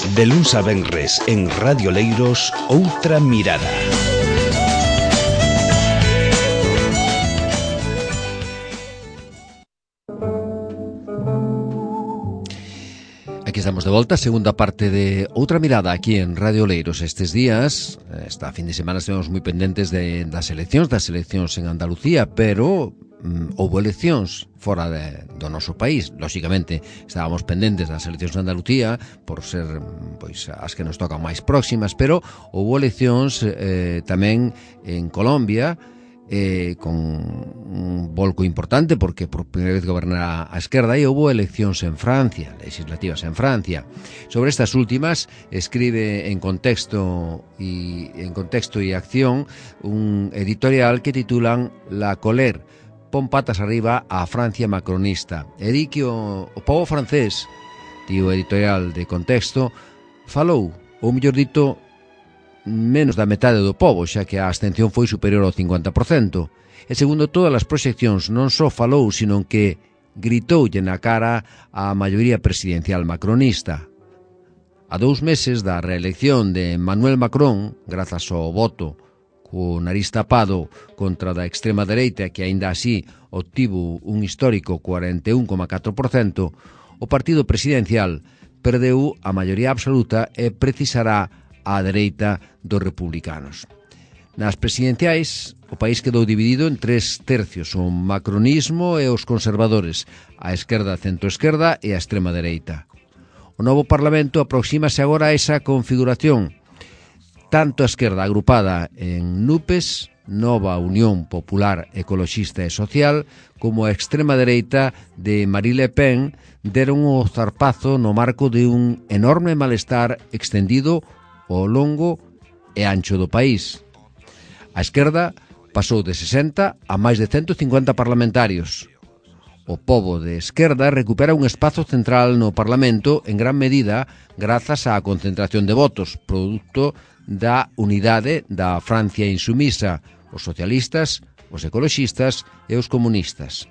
De luns a venres en Radio Leiros, Outra Mirada. Aquí estamos de volta, segunda parte de Outra Mirada aquí en Radio Leiros. Estes días, esta fin de semana, estivemos moi pendentes das eleccións en Andalucía, pero houve eleccións fora do noso país. Lóxicamente, estábamos pendentes das eleccións en Andalucía por ser pois as que nos tocan máis próximas, pero houve eleccións tamén en Colombia, con un volco importante porque por primeira vez goberna a esquerda, e houve eleccións en Francia, legislativas en Francia. Sobre estas últimas escribe en Contexto y Acción un editorial que titulan La Colère, pon patas arriba a Francia macronista. E di que o pobo francés, tío editorial de Contexto, falou, ou mellor dito, menos da metade do pobo, xa que a abstención foi superior ao 50%. E segundo todas as proxeccións, non só falou, sino que gritoulle na cara a maioría presidencial macronista. A 2 meses da reelección de Emmanuel Macron, grazas ao voto co nariz tapado contra da extrema dereita, que aínda así obtivo un histórico 41,4%, o partido presidencial perdeu a maioría absoluta e precisará á dereita dos republicanos. Nas presidenciais, o país quedou dividido en 3 tercios, o macronismo e os conservadores, a esquerda, centroesquerda e a extrema dereita. O novo Parlamento aproxímase agora a esa configuración, tanto a esquerda agrupada en NUPES, Nova Unión Popular Ecoloxista e Social, como a extrema dereita de Marine Le Pen deron o zarpazo no marco de un enorme malestar extendido ao longo e ancho do país. A esquerda pasou de 60 a máis de 150 parlamentarios. O pobo de esquerda recupera un espazo central no Parlamento en gran medida grazas á concentración de votos, produto da unidade da Francia insumisa, os socialistas, os ecoloxistas e os comunistas.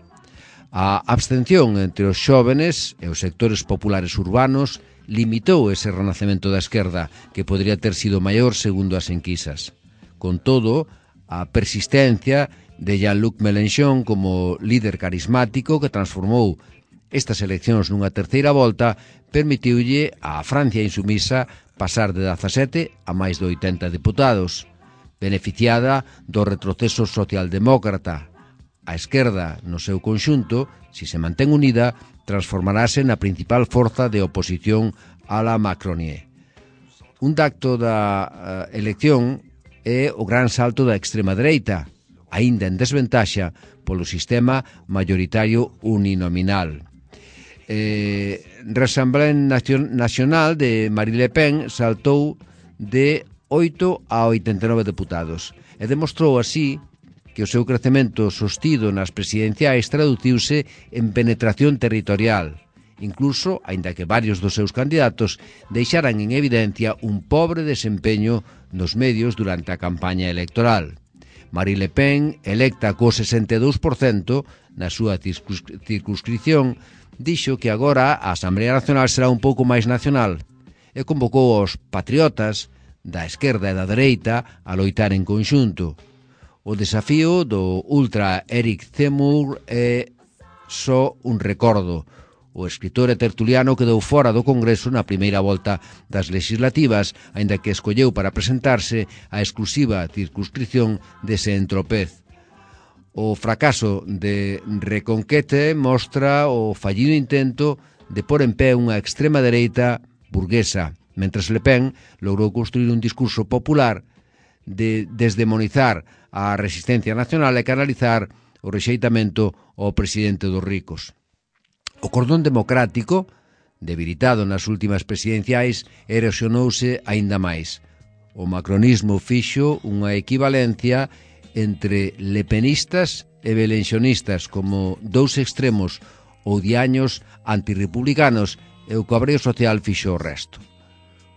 A abstención entre os xóvenes e os sectores populares urbanos limitou ese renacemento da esquerda, que podría ter sido maior segundo as enquisas. Con todo, a persistencia de Jean-Luc Mélenchon como líder carismático que transformou estas eleccións nunha terceira volta permitiulle á Francia insumisa pasar de 17 a máis de 80 deputados. Beneficiada do retroceso socialdemócrata, a esquerda, no seu conxunto, se se mantén unida, transformarase na principal forza de oposición a la Macronie. Un dacto da elección é o gran salto da extrema dereita, aínda en desventaxa polo sistema mayoritario uninominal. Rassemblement Nacional de Marine Le Pen saltou de 8 a 89 deputados e demostrou así que o seu crecemento sostido nas presidenciais traduciuse en penetración territorial, incluso, aínda que varios dos seus candidatos deixaran en evidencia un pobre desempeño nos medios durante a campaña electoral. Marine Le Pen, electa co 62% na súa circunscripción, dixo que agora a Asamblea Nacional será un pouco máis nacional e convocou aos patriotas da esquerda e da dereita a loitar en conxunto. O desafío do ultra Eric Zemmour é só un recordo. O escritor e tertuliano quedou fora do Congreso na primeira volta das legislativas, aínda que escolleu para presentarse a exclusiva circunscripción de Saint-Tropez. O fracaso de Reconquete mostra o fallido intento de pôr en pé unha extrema dereita burguesa, mentres Le Pen logrou construir un discurso popular de desdemonizar a resistencia nacional e canalizar o rexeitamento ao presidente dos ricos. O cordón democrático, debilitado nas últimas presidenciais, erosionouse aínda máis. O macronismo fixo unha equivalencia entre lepenistas e belenxonistas como dous extremos odiaños antirrepublicanos e o cabreo social fixo o resto.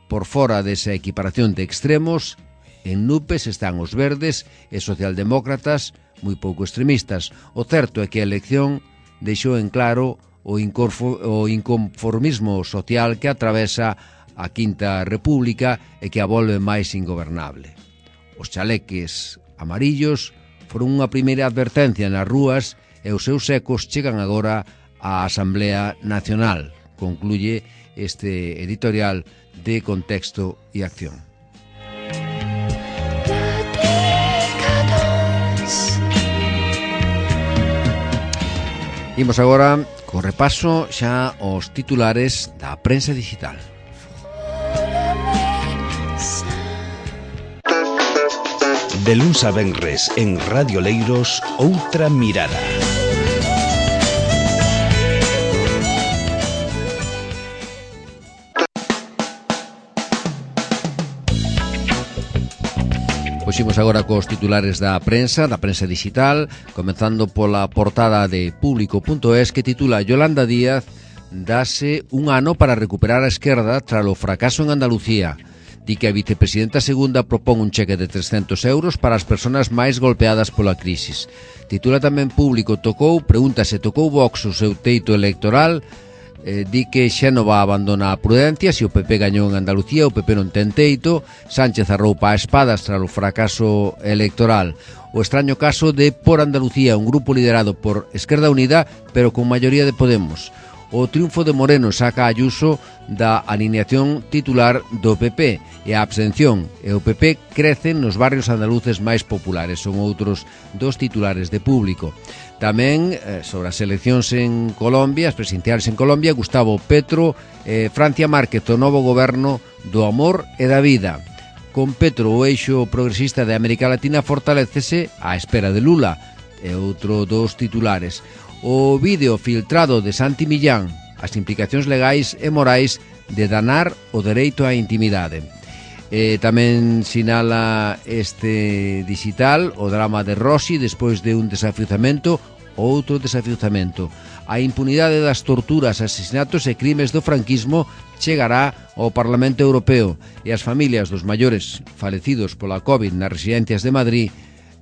Por fora desa equiparación de extremos, en NUPES están os verdes e socialdemócratas moi pouco extremistas. O certo é que a elección deixou en claro o inconformismo social que atravesa a Quinta República e que a volve máis ingobernable. Os chaleques amarillos foron unha primeira advertencia nas rúas e os seus ecos chegan agora á Asamblea Nacional, concluye este editorial de Contexto e Acción. Imos agora co repaso xa aos titulares da prensa digital. De luns a venres en Radio Leiros, Outra Mirada. Poximos agora cos titulares da prensa digital, comenzando pola portada de Público.es que titula Yolanda Díaz dase un ano para recuperar a esquerda tras o fracaso en Andalucía. Di que a vicepresidenta segunda propón un cheque de 300 euros para as persoas máis golpeadas pola crisis. Titula tamén Público, pregunta se tocou Vox o seu teito electoral. Di que Xénova abandona a prudencia, se o PP gañou en Andalucía, o PP non ten teito. Sánchez arroupa a espadas tras o fracaso electoral. O extraño caso de Por Andalucía, un grupo liderado por Esquerda Unida, pero con maioría de Podemos. O triunfo de Moreno saca a Ayuso da alineación titular do PP e a abstención e o PP crecen nos barrios andaluces máis populares. Son outros dos titulares de Público. Tamén sobre as eleccións en Colombia, as presidenciales en Colombia, Gustavo Petro, Francia Márquez, o novo goberno do amor e da vida. Con Petro, o eixo progresista de América Latina fortalécese á espera de Lula. É outro dos titulares. O vídeo filtrado de Santi Millán, as implicacións legais e morais de danar o dereito á intimidade. Tamén sinala este digital o drama de Rossi despois de un desafiuzamento, outro desafiuzamento. A impunidade das torturas, asesinatos e crimes do franquismo chegará ao Parlamento Europeo e as familias dos maiores falecidos pola COVID nas residencias de Madrid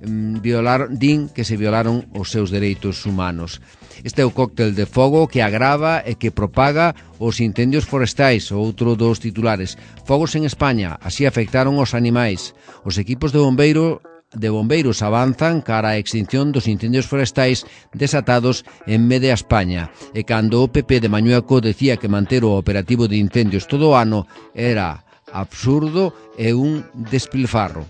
din que se violaron os seus dereitos humanos. Este é o cóctel de fogo que agrava e que propaga os incendios forestais, outro dos titulares. Fogos en España, así afectaron os animais. Os equipos de bombeiros avanzan cara á extinción dos incendios forestais desatados en media España. E cando o PP de Mañueco decía que manter o operativo de incendios todo o ano era absurdo e un despilfarro.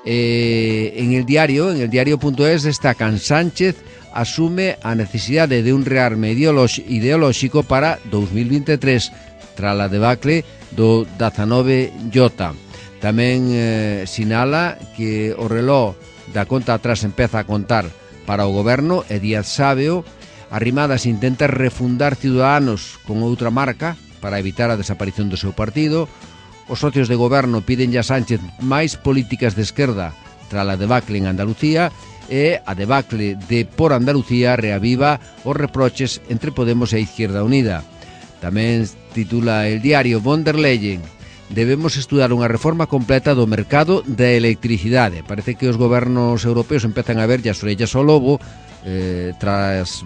En el diario.es destacan Sánchez asume a necesidade de un rearme ideolóxico para 2023 tras a debacle do 19J. Tamén sinala que o reloj da conta atrás empeza a contar para o goberno e Díaz Sábeo Arrimadas intenta refundar Ciudadanos con outra marca para evitar a desaparición do seu partido. Os socios de goberno piden a Sánchez máis políticas de esquerda tras a debacle en Andalucía e a debacle de Por Andalucía reaviva os reproches entre Podemos e Izquierda Unida. Tamén titula el diario von der Leyen debemos estudar unha reforma completa do mercado da electricidade. Parece que os gobernos europeos empezan a ver as orellas ao lobo tras,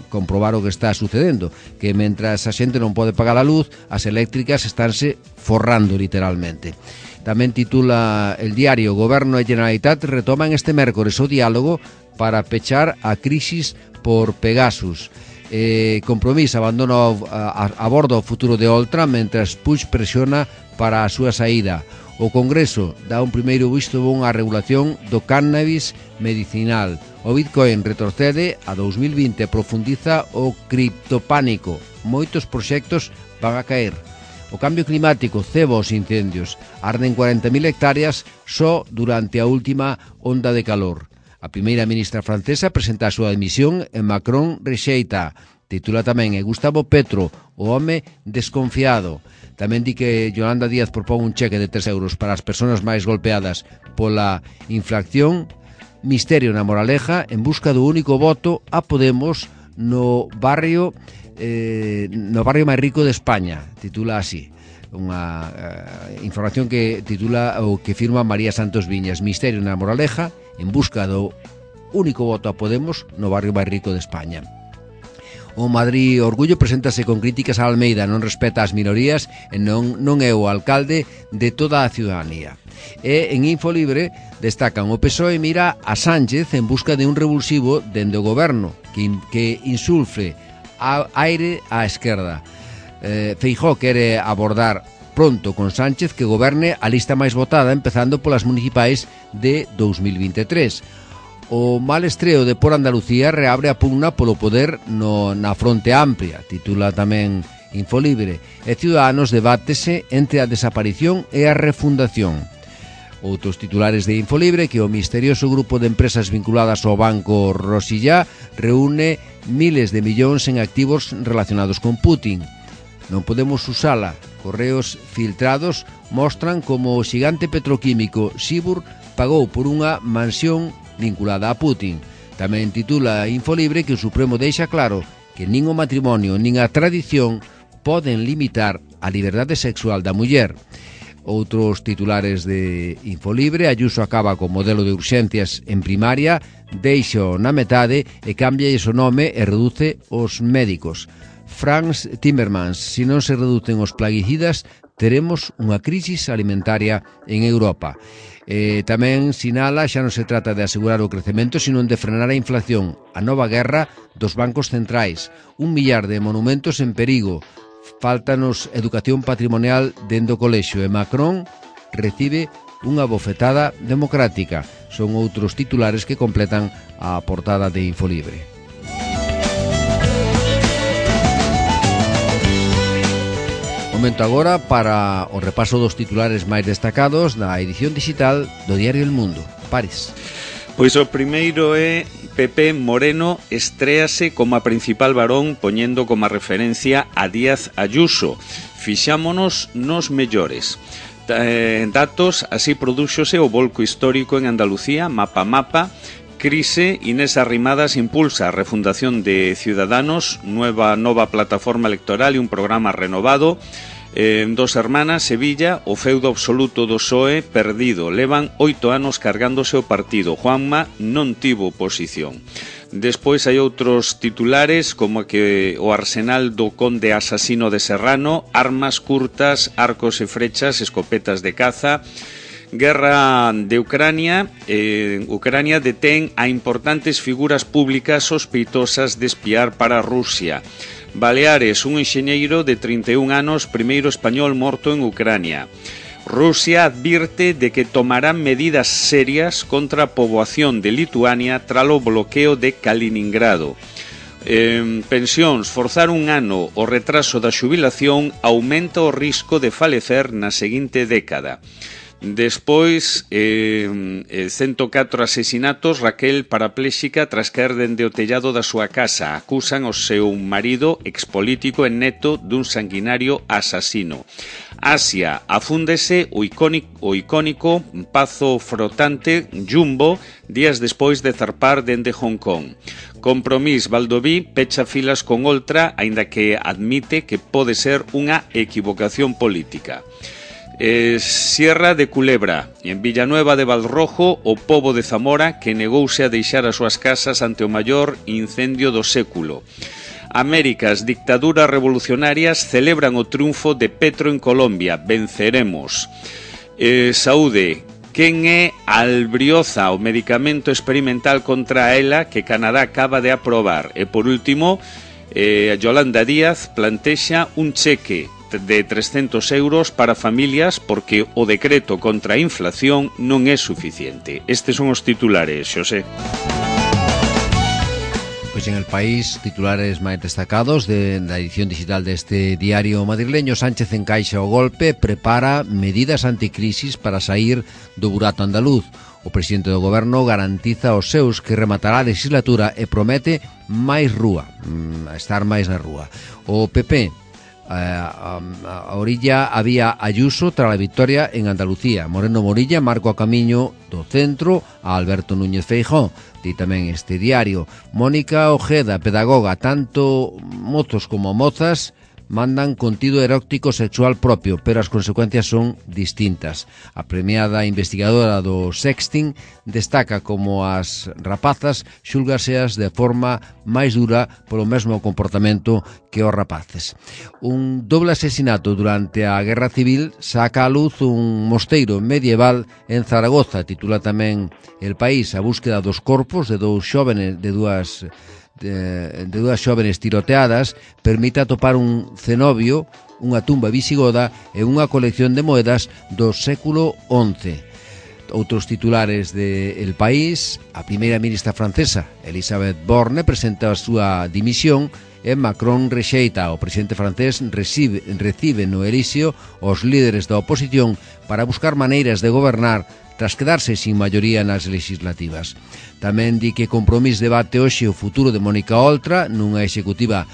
comprobar o que está sucedendo, que mentras a xente non pode pagar a luz, as eléctricas estánse forrando literalmente. Tamén titula el diario Goberno e Generalitat retoman este mércores o diálogo para pechar a crisis por Pegasus. Compromís abandona a bordo o futuro de Oltra mentras Puig presiona para a súa saída. O Congreso dá un primeiro visto bon á regulación do cannabis medicinal. O Bitcoin retrocede a 2020 e profundiza o criptopánico. Moitos proxectos van a caer. O cambio climático ceba os incendios. Arden 40.000 hectáreas só durante a última onda de calor. A primeira ministra francesa presenta a súa dimisión e Macron rexeita. Titula tamén Gustavo Petro, o home desconfiado. Tamén di que Yolanda Díaz propón un cheque de 3 euros para as persoas máis golpeadas pola inflación. Misterio na Moraleja en busca do único voto a Podemos no barrio máis rico de España. Titula así. Unha información que titula ou que firma María Santos Viñas. Misterio na Moraleja en busca do único voto a Podemos no barrio máis rico de España. O Madrid Orgullo preséntase con críticas a Almeida, non respeta as minorías e non é o alcalde de toda a ciudadanía. E en Infolibre destacan o PSOE mira a Sánchez en busca de un revulsivo dende o goberno que insulfe aire á esquerda. Feijóo quere abordar pronto con Sánchez que goberne a lista máis votada, empezando polas municipais de 2023. O mal estreo de Por Andalucía reabre a pugna polo poder na Fronte Amplia, titula tamén Infolibre, e Ciudadanos debátese entre a desaparición e a refundación. Outros titulares de Infolibre que o misterioso grupo de empresas vinculadas ao banco Rosillá reúne miles de millóns en activos relacionados con Putin. Non podemos usala. Correos filtrados mostran como o xigante petroquímico Sibur pagou por unha mansión vinculada a Putin. Tamén titula Infolibre que o Supremo deixa claro que nin o matrimonio nin a tradición poden limitar a liberdade sexual da muller. Outros titulares de Infolibre: Ayuso acaba co modelo de urxencias en primaria, deixa na metade e cambia o nome e reduce os médicos. Franz Timmermans: si non se reducen os plaguicidas, teremos unha crisis alimentaria en Europa. Tamén sinala xa non se trata de asegurar o crecemento, sino de frenar a inflación, a nova guerra dos bancos centrais, 1 millar de monumentos en perigo, fáltanos educación patrimonial dentro do colexio e Macron recibe unha bofetada democrática. Son outros titulares que completan a portada de Infolibre. Momento agora para o repaso dos titulares máis destacados da edición digital do diario El Mundo. Pares. Pois o primeiro é Pepe Moreno estréase como a principal varón poñendo como referencia a Díaz Ayuso. Fixámonos nos mellores. Datos, así prodúxose o volco histórico en Andalucía, mapa. Crise, Inés Arrimadas impulsa a refundación de Ciudadanos, nova plataforma electoral e un programa renovado. Dos Hermanas, Sevilla, o feudo absoluto do PSOE perdido. Levan 8 anos cargándose o partido. Juanma non tivo oposición. Despois hai outros titulares como que o arsenal do conde asasino de Serrano, armas curtas, arcos e frechas, escopetas de caza. Guerra de Ucrania. Ucrania detén a importantes figuras públicas sospeitosas de espiar para Rusia. Baleares, un enxeñeiro de 31 anos, primeiro español morto en Ucrania. Rusia advirte de que tomará medidas serias contra a poboación de Lituania tras o bloqueo de Kaliningrado. Pensións, forzar un ano o retraso da xubilación aumenta o risco de falecer na seguinte década. Despois, 104 asesinatos, Raquel parapléxica tras caer dende o tellado da súa casa. Acusan o seu marido, expolítico e neto dun sanguinario asasino. Asia, afúndese o icónico pazo frotante Jumbo días despois de zarpar dende Hong Kong. Compromís, Valdoví pecha filas con Oltra, aínda que admite que pode ser unha equivocación política. Sierra de Culebra, en Villanueva de Valrojo, o pobo de Zamora que negouse a deixar as súas casas ante o maior incendio do século. Américas, dictaduras revolucionarias celebran o triunfo de Petro en Colombia. Venceremos. Saúde, quen é Albrioza, o medicamento experimental contra a ELA que Canadá acaba de aprobar. E por último, Yolanda Díaz plantexa un cheque de 300 euros para familias porque o decreto contra a inflación non é suficiente. Estes son os titulares, Xosé. Pois en El País, titulares máis destacados da edición digital deste diario madrileño: Sánchez encaixa o golpe, prepara medidas anticrisis para sair do burato andaluz. O presidente do goberno garantiza aos seus que rematará a legislatura e promete máis rúa, estar máis na rúa. O PP, a orilla había Ayuso tras a victoria en Andalucía. Moreno Morilla marca o camiño do centro a Alberto Núñez Feijóo. Di tamén este diario. Mónica Ojeda, pedagoga, tanto mozos como mozas mandan contido erótico sexual propio, pero as consecuencias son distintas. A premiada investigadora do sexting destaca como as rapazas xúlgaseas de forma máis dura polo mesmo comportamento que os rapaces. Un doble asesinato durante a Guerra Civil saca a luz un mosteiro medieval en Zaragoza. Titula tamén El País: a búsqueda dos corpos de dúas xóvenes tiroteadas permite atopar un cenobio, unha tumba visigoda e unha colección de moedas do século XI. Outros titulares de El País: a primeira ministra francesa, Elisabeth Borne, presenta a súa dimisión e Macron rexeita. O presidente francés recibe no Elíseo os líderes da oposición para buscar maneiras de gobernar tras quedarse sin maioría nas legislativas. Tamén di que Compromís debate hoxe o futuro de Mónica Oltra nunha executiva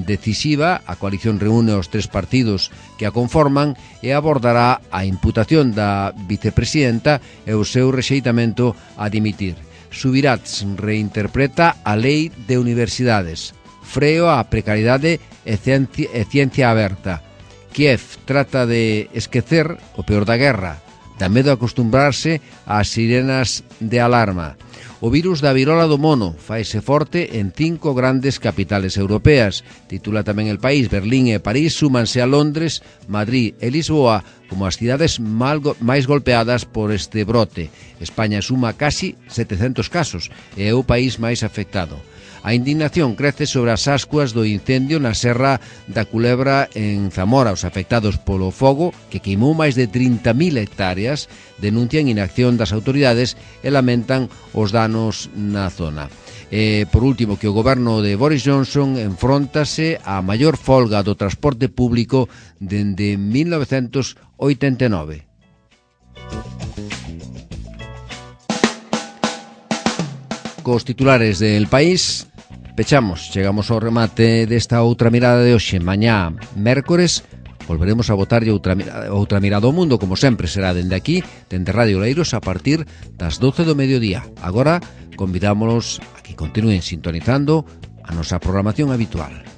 decisiva. A coalición reúne os tres partidos que a conforman e abordará a imputación da vicepresidenta e o seu rexeitamento a dimitir. Subirats reinterpreta a lei de universidades. Freo á precariedade e ciencia aberta. Kiev trata de esquecer o peor da guerra. Dá medo acostumbrarse ás sirenas de alarma. O virus da virola do mono faise forte en 5 grandes capitales europeas. Titula tamén El País: Berlín e París súmanse a Londres, Madrid e Lisboa como as cidades máis golpeadas por este brote. España suma casi 700 casos e é o país máis afectado. A indignación crece sobre as ascuas do incendio na Serra da Culebra en Zamora. Os afectados polo fogo, que queimou máis de 30.000 hectáreas, denuncian inacción das autoridades e lamentan os danos na zona. E, por último, que o goberno de Boris Johnson enfróntase á maior folga do transporte público dende 1989. Cos titulares del País pechamos, chegamos ao remate desta outra mirada de hoxe. Mañá, mércores, volveremos a botarlle outra mirada ao mundo, como sempre será dende aquí, dende Radio Leiros, a partir das 12 do mediodía. Agora convidámonos a que continúen sintonizando a nosa programación habitual.